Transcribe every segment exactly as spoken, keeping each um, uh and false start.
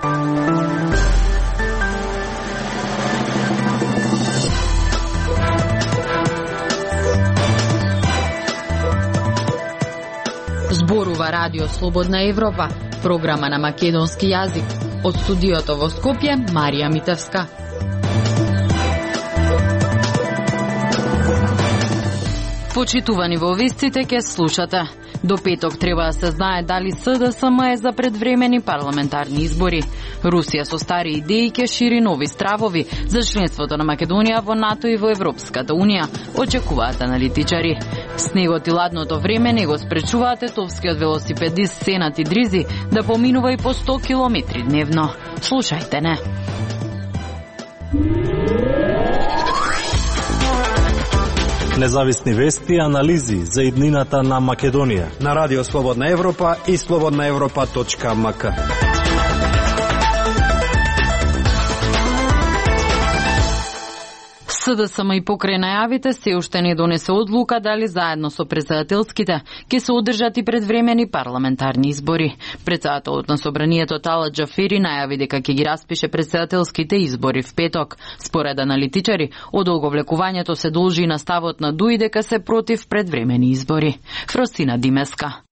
Зборува Радио Слободна Европа, програма на македонски јазик. Од студиото во Скопје, Марија Митевска. Почитувани во вестите ке слушате. До петок треба да се знае дали С Д С М е за предвремени парламентарни избори. Русија со стари идеи ке шири нови стравови за членството на Македонија во НАТО и во Европската Унија, очекуваат аналитичари. Снегот и ладното време не го спречуваат етовскиот велосипедист Сенат Идризи да поминува и по сто километри дневно. Слушајте не. Независни вести и анализи за иднината на Македонија на Радио Слободна Европа и слободна европа точка ем ка. С Д С М и покрај најавите се уште не донесе одлука дали заедно со претседателските ќе се одржат и предвремени парламентарни избори. Претседателот на собранието Талат Џафери најави дека ќе ги распише претседателските избори в петок. Според аналитичари, одолговлекувањето се должи на ставот на ДУИ дека се против предвремени избори. Фросина Димеска.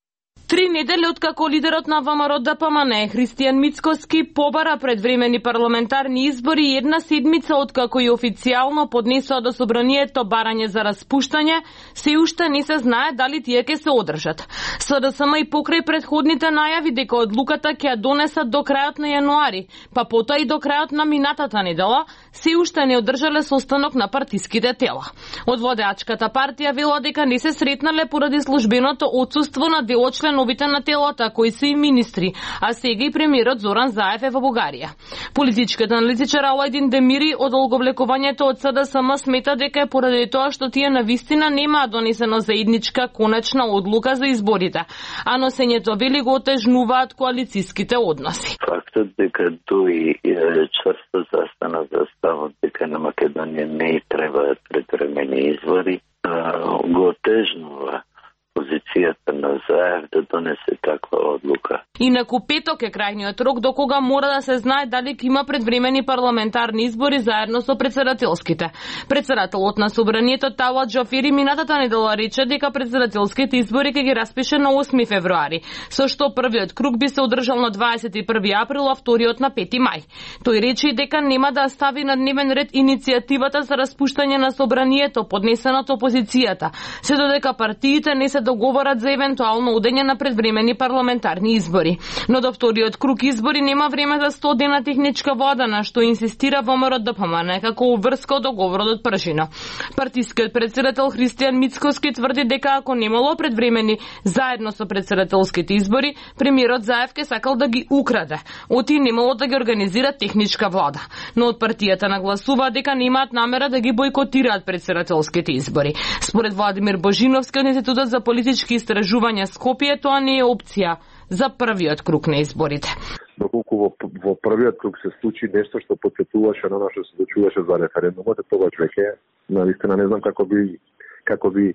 Три недели откако лидерот на Вэ М Р Д П М Н Христијан Мицкоски побара предвремени парламентарни избори и една седмица откако и официјално поднесоа до собранието барање за распуштање, се уште не се знае дали тие ќе се одржат. С Д С М и покрај предходните најави дека одлуката ќе ја донесат до крајот на јануари, па потоа и до крајот на минатата недела, се уште не одржале состанок на партиските тела. Од водеачката партија вела дека не се сретнале поради службеното отсуство на дел од членовите на телото, кои се и министри, а сега и премиерот Зоран Заев е во Бугарија. Политичкиот аналитичар Алајдин Демири од одолговлекувањето од С Д С М смета дека е поради тоа што тие навистина немаа донесено заедничка конечна одлука за изборите, а носењето вели го отежнуваат коалициските односи. Фактот дека ДУИ чврсто застана за ставот дека на Македонија не требаат предвремени избори, го отежнува позицијата на Заев да донесе таква одлука. Инаку петок е крајниот рок до кога мора да се знае дали ќе има предвремени парламентарни избори заедно со претседателските. Претседателот на собранието Талат Џафери минатата недела рече дека претседателските избори ќе ги распише на осми февруари, со што првиот круг би се одржал на дваесет и први април, а вториот на пети мај. Тој рече и дека нема да стави на дневен ред иницијативата за распуштање на собранието поднесена од опозицијата, се додека партиите не се договорат за евентуално одење на предвремени парламентарни избори. Но до вториот круг избори нема време за сто дена техничка вода, на што инсистира Вэ М Р Д П М Н како уврска од договорот од пржина. Партискиот претседател Христијан Мицкоски тврди дека ако немало предвремени заедно со претседателските избори, премиерот Заев ке сакал да ги украде, оти немало да ги организира техничка влада. Но од партијата нагласува дека немаат намера да ги бойкотираат претседателските избори. Според Владимир Божиновски од Институтот за политички истражувања Скопје, тоа не е опција за првиот круг на изборите. Доколку во, во првиот круг се случи нешто што потсетуваше на што се случуваше за референдумот, тогаш веќе навистина не знам како би како би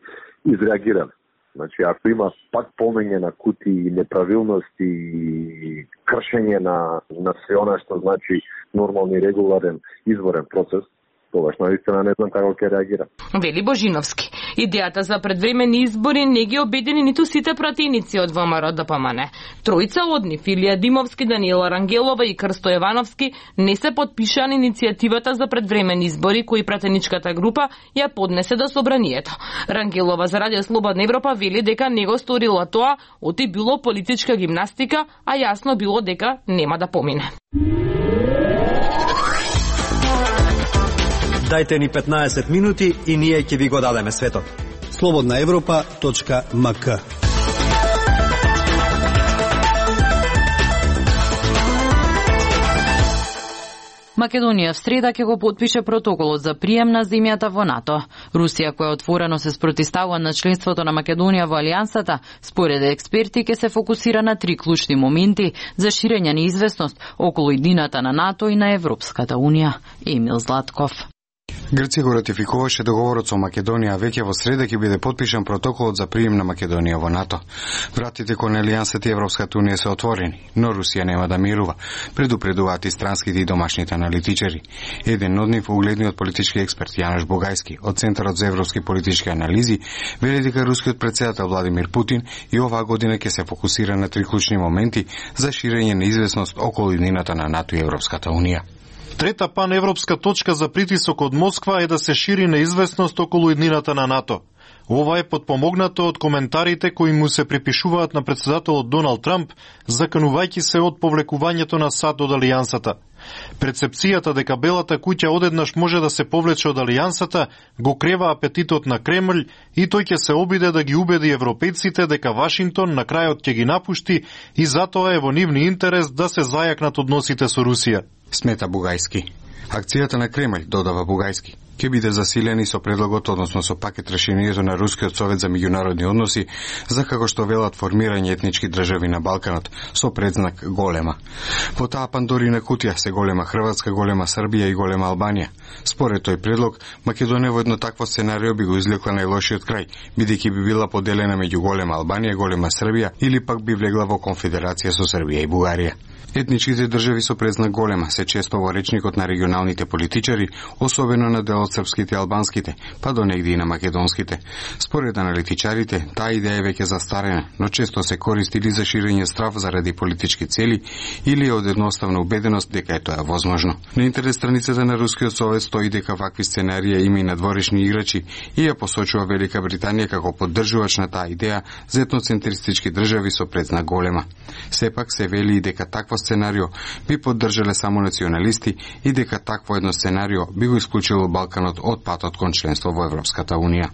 изреагирал. Значи, ако има пак полнење на кути и неправилности и кршење на на се она што значи нормални регуларен изборен процес, тогаш наистина не знам како ќе реагира. Вели Божиновски. Идејата за предвремени избори не ги обедини ниту сите пратеници од Вэ М Р Д П М Н. Тројца од нив, Илија Димовски, Даниела Рангелова и Крсто Јовановски, не се потпишаа на иницијативата за предвремени избори кои пратеничката група ја поднесе до собранието. Рангелова за Радио Слободна Европа вели дека не го сторила тоа, оти било политичка гимнастика, а јасно било дека нема да помине. Дајте ни петнаесет минути и ние ќе ви го дадеме светот. слободна европа точка ем ка. Македонија в среда ќе го потпише протоколот за прием на земјата во НАТО. Русија, која отворено се спротивстава на членството на Македонија во алијансата, според експерти ќе се фокусира на три клучни моменти за ширење неизвестност околу иднината на НАТО и на Европската Унија. Емил Златков. Грција го ратификуваше договорот со Македонија, а веќе во среда ќе биде потпишан протоколот за прием на Македонија во НАТО. Вратите кон Алијансата и Европската унија се отворени, но Русија нема да мирува, предупредуваат и странските и домашните аналитичари. Еден од нив, угледниот политички експерт Јанош Бугајски од Центарот за европски политички анализи, вели дека рускиот претседател Владимир Путин и оваа година ќе се фокусира на три клучни моменти за ширење на известност околу иднината на НАТО и Европската унија. Трета паневропска точка за притисок од Москва е да се шири неизвестност околу иднината на НАТО. Ова е подпомогнато од коментарите кои му се припишуваат на претседателот Доналд Трамп, заканувајќи се од повлекувањето на САД од Алијансата. Прецепцијата дека Белата куќа одеднаш може да се повлече од Алијансата го крева апетитот на Кремљ и тој ќе се обиде да ги убеди европејците дека Вашингтон на крајот ќе ги напушти и затоа е во нивни интерес да се зајакнат односите со Русија. Смета Бугајски. Акцијата на Кремљ, додава Бугајски, ќе биде засилени со предлогот, односно со пакет решението на Рускиот совет за меѓународни односи, за како што велат формирање етнички држави на Балканот, со предзнак голема. Во таа Пандорина кутија се голема Хрватска, голема Србија и голема Албанија. Според тој предлог, Македонија во едно такво сценарио би го извлекла најлошиот крај, бидејќи би била поделена меѓу голема Албанија, голема Србија или пак би влегла во конфедерација со Србија и Бугарија. Етничките држави со предзнак голема се често во речникот на регионалните политичари, особено на дел од српските и албанските, па до негде и на македонските. Според аналитичарите, таа идеја е веќе застарена, но често се користи или за ширење страв заради политички цели или од едноставна убеденост дека е тоа возможно. На интернет страницата на Рускиот совет стои дека вакви сценарија има и надворешни играчи и ја посочува Велика Британија како поддржувач на таа идеја за етноцентристички држави со предзнак голема. Сепак се вели и дека такво сценарио би поддржале само националисти и дека такво едно сценарио би го исклучило Балканот од патот кон членство во Европската унија.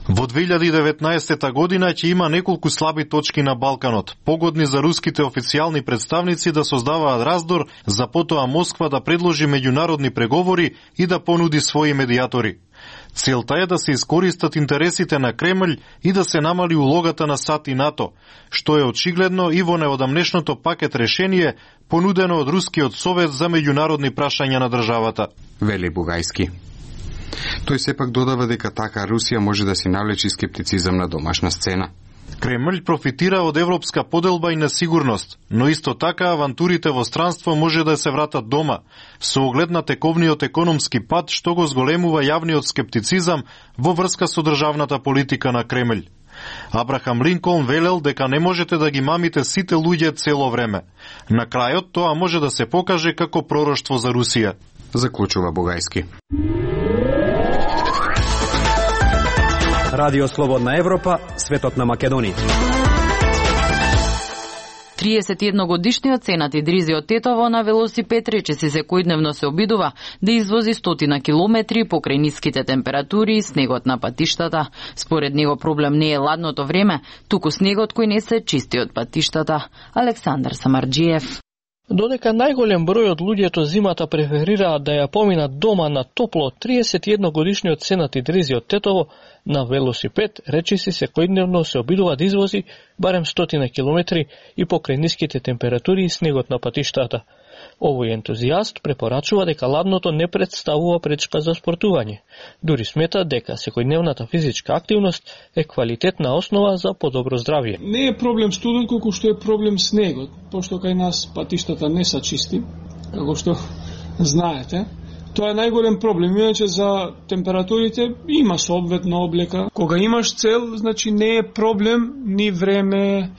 Во две илјади и деветнаесета година ќе има неколку слаби точки на Балканот, погодни за руските официјални представници да создаваат раздор, за потоа Москва да предложи меѓународни преговори и да понуди своји медијатори. Целта е да се искористат интересите на Кремљ и да се намали улогата на САД и НАТО, што е очигледно и во неодамнешното пакет решение понудено од Рускиот совет за меѓународни прашања на државата. Вели Бугајски. Тој сепак додава дека така Русија може да си навлечи скептицизам на домашна сцена. Кремљ профитира од европска поделба и несигурност, но исто така авантурите во странство може да се вратат дома, со оглед на тековниот економски пат што го зголемува јавниот скептицизам во врска со државната политика на Кремљ. Абрахам Линколн велел дека не можете да ги мамите сите луѓе цело време. На крајот тоа може да се покаже како пророштво за Русија. Заклучува Бугајски. Радио Слободна Европа, светот на Македонија. триесет и едногодишниот Сенат Идризио Тетово на велосипед речиси секојдневно се обидува да извози стотина километри покрај ниските температури и снегот на патиштата. Според него проблем не е ладното време, туку снегот кој не се чисти од патиштата. Александар Самарџиев. Додека најголем број од луѓето зимата преферираат да ја поминат дома на топло, триесет и едногодишниот Сенат Идризио Тетово на велосипед речиси секојдневно се обидува да извози барем стотина километри и покрај ниските температури и снегот на патиштата. Овој ентузијаст препорачува дека ладното не представува пречка за спортување. Дури смета дека секојдневната физичка активност е квалитетна основа за подобро здравје. Не е проблем студент колку што е проблем снегот, пошто кај нас патиштата не се чисти, како што знаете. Тоа е најголем проблем, иначе за температурите има соодветна облека. Кога имаш цел, значи не е проблем ни време,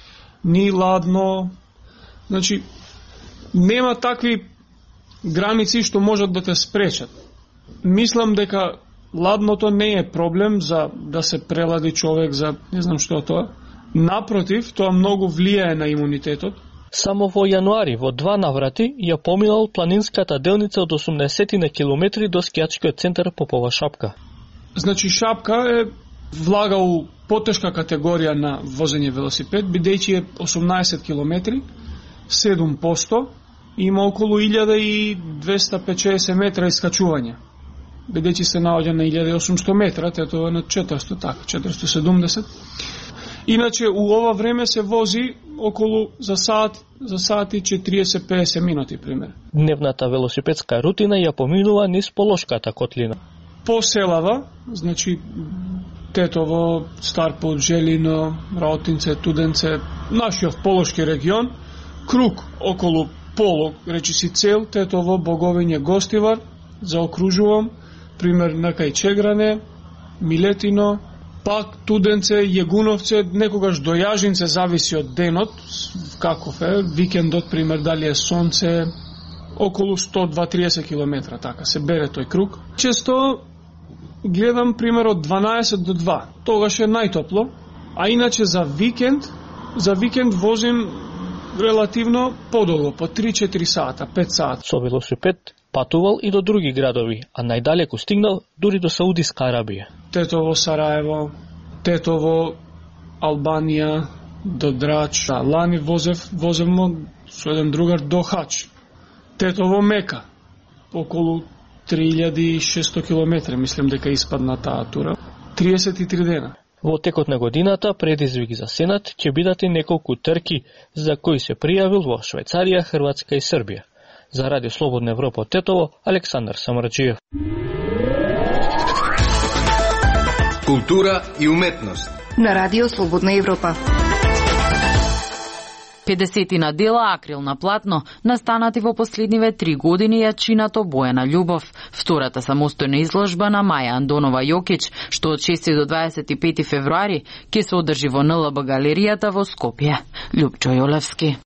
ни ладно. Значи нема такви граници што можат да те спречат. Мислам дека ладното не е проблем за да се прелади човек за не знам што тоа. Напротив, тоа многу влијае на имунитетот. Само во јануари во два наврати ја поминал планинската делница од осумдесет на километри до скијачкиот центар Попова Шапка. Значи Шапка е влага у потешка категорија на возење велосипед, бидејќи е осумнаесет километри, седум проценти, има околу илјада и двесте и педесет метра искачување. Бидејќи се наоѓа на илјада и осумсто метра, тето е на четиристо, така, четиристо и седумдесет. Иначе у ова време се вози околу за сат, за сат и четириесет до педесет минути, пример. Дневната велосипедска рутина ја поминува низ Полошката котлина. по селава, значи Тетово, Старпот, Желино, Раотинце, Туденце, нашиот Полошки регион, круг околу Полог, речиси цел, Тетово, Боговиње, Гостивар, заокружувам, пример на кај Чегране, Милетино, пак Туденце, Јегуновце, некогаш до Јажинце, зависи од денот, каков е, викендот, пример, дали е сонце, околу сто до триесет километра, така, се бере тој круг. Често гледам, пример, од дванаесет до два, тогаш е најтопло, а иначе за викенд, за викенд возим релативно подолго, по три-четири сата, пет сата. Со велосипед патувал и до други градови, а најдалеку стигнал дури до Саудиска Арабија. Тетово, Сараево, Тетово, Албанија, до Драч. Да, лани возев, возевмо со еден другар до Хач. Тетово, Мека, околу три илјади и шесто километри, мислам дека испадна таа тура. триесет и три дена. Во текот на годината предизвик за Сенат ќе бидат и неколку трки за кои се пријавил во Швајцарија, Хрватска и Србија. За Радио Слободна Европа од Тетово, Александар Самарџиев. Култура и уметност на Радио Слободна Европа. педесетина дела акрилна платно, настанати во последниве три години, ја чинато Бојана Љубов, втората самостојна изложба на Маја Андонова Јокич, што од шести до дваесет и пети февруари ќе се одржи во Н Л Б галеријата во Скопје. Љупчо Јолевски.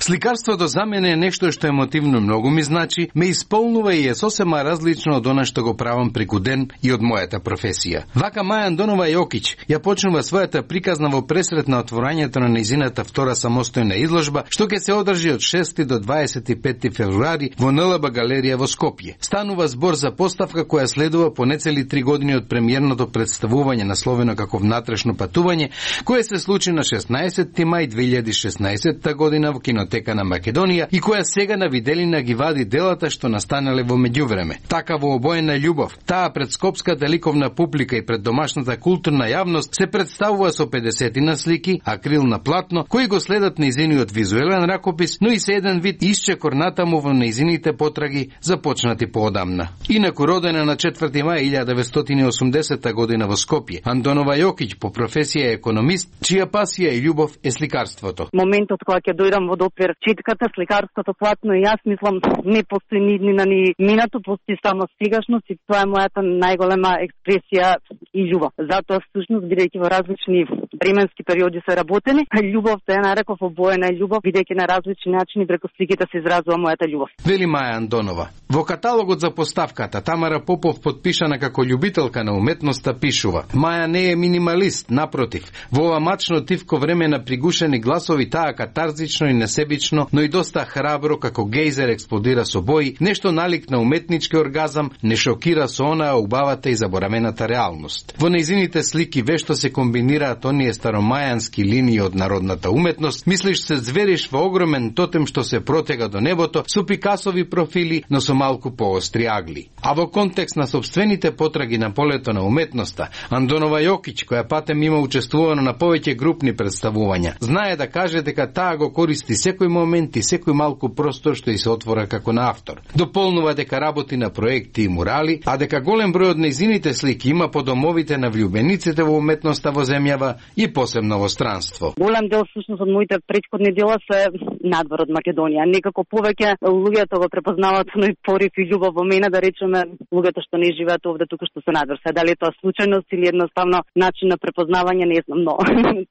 Сликарството за мене е нешто што емотивно многу ми значи, ме исполнува и е сосема различно од она што го правам преку ден и од мојата професија. Вака Маја Андонова Јокич ја почнува својата приказна во пресрет на отворањето на нејзината втора самостојна изложба, што ќе се одржи од шести до дваесет и пети февруари во Н Л Б галерија во Скопје. Станува збор за поставка која следува по нецели три години од премиерното представување насловено како Внатрешно патување, кое се случи на шеснаесетти мај две илјади и шеснаесетта година во кино Тека на Македонија и која сега на виделина ги вади делата што настанале во меѓувреме. Така во Обоена љубов, таа пред скопската ликовна публика и пред домашната културна јавност се представува со педесетина слики, акрил на платно, кои го следат нејзиниот визуелен ракопис, но и се еден вид исчекор натаму во нејзините потраги започнати поодамна. Инаку родена на четврти мај илјада деветстотини и осумдесета година во Скопје, Андонова Јокич по професија е економист, чија пасија и љубов е сликарството. Моментот кога ќе дојдам во допир четката, сликарството платно и јас мислам не постои ни иднина ни минато, постои само сегашност и тоа е мојата најголема експресија и љубов. Затоа всушност бидејќи во различни временски периоди се работени, љубовта ја нареков обоена љубов, бидејќи на различни начини преку сликите се изразува мојата љубов. Вели Маја Андонова. Во каталогот за поставката Тамара Попов, подпишана како љубителка на уметноста, пишува: Маја не е минималист, напротив. Во ова мачно тивко време на пригушени гласови таа катарзично и несебично, но и доста храбро како гејзер експлодира со бои, нешто налик на уметнички оргазам, не шокира со онаа убавата и заборамената реалност. Во нејзините слики вешто се комбинираат оние старомајански линии од народната уметност, мислиш се звериш во огромен тотем што се протега до небото со Пикасови профили, но со малку поостри агли. А во контекст на собствените потраги на полето на уметноста, Андонова Јокич, која патем има учествувано на повеќе групни представувања, знае да каже дека таа го користи секој момент и секој малку простор што и се отвора како на автор. Дополнува дека работи на проекти и мурали, а дека голем број од нејзините слики има по домовите на влюбениците во уметноста во земјава и посебно во странство. Голем дел всушност од моите претходни дела се надвор од Македонија. Некако повеќе луѓето го препознаваат оној порив и љубов во мене, да речеме луѓето што не живеат овде туку што се надвор. Се дали тоа случајност или едноставно начин на препознавање, не знам, но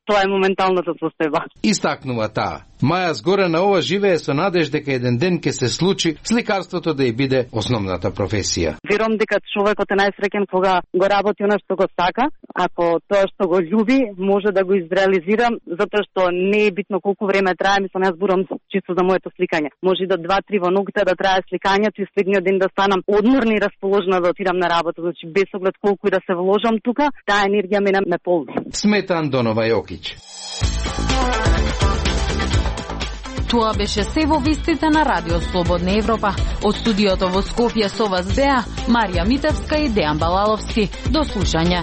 тоа е моменталната состојба. Истакнува таа. Маја згоре на ова живее со надеж дека еден ден ќе се случи сликарството да ја биде основната професија. Верувам дека човекот е најсреќен кога го работи она што го сака, ако тоа што го љуби може да го изреализира, затоа што не е битно колку време трае, мислам јас зборам чисто за моето сликање. Може и до два-три во ноќта да трае сликањето и следниот ден да станам одморна и расположена да отидам на работа, значи без оглед колку и да се вложам тука, таа енергија мене ме полни. Смета Андонова Јокич. Тоа беше се во вестите на Радио Слободна Европа. Од студиото во Скопје со вас беа Марија Митевска и Дејан Балаловски. До слушање.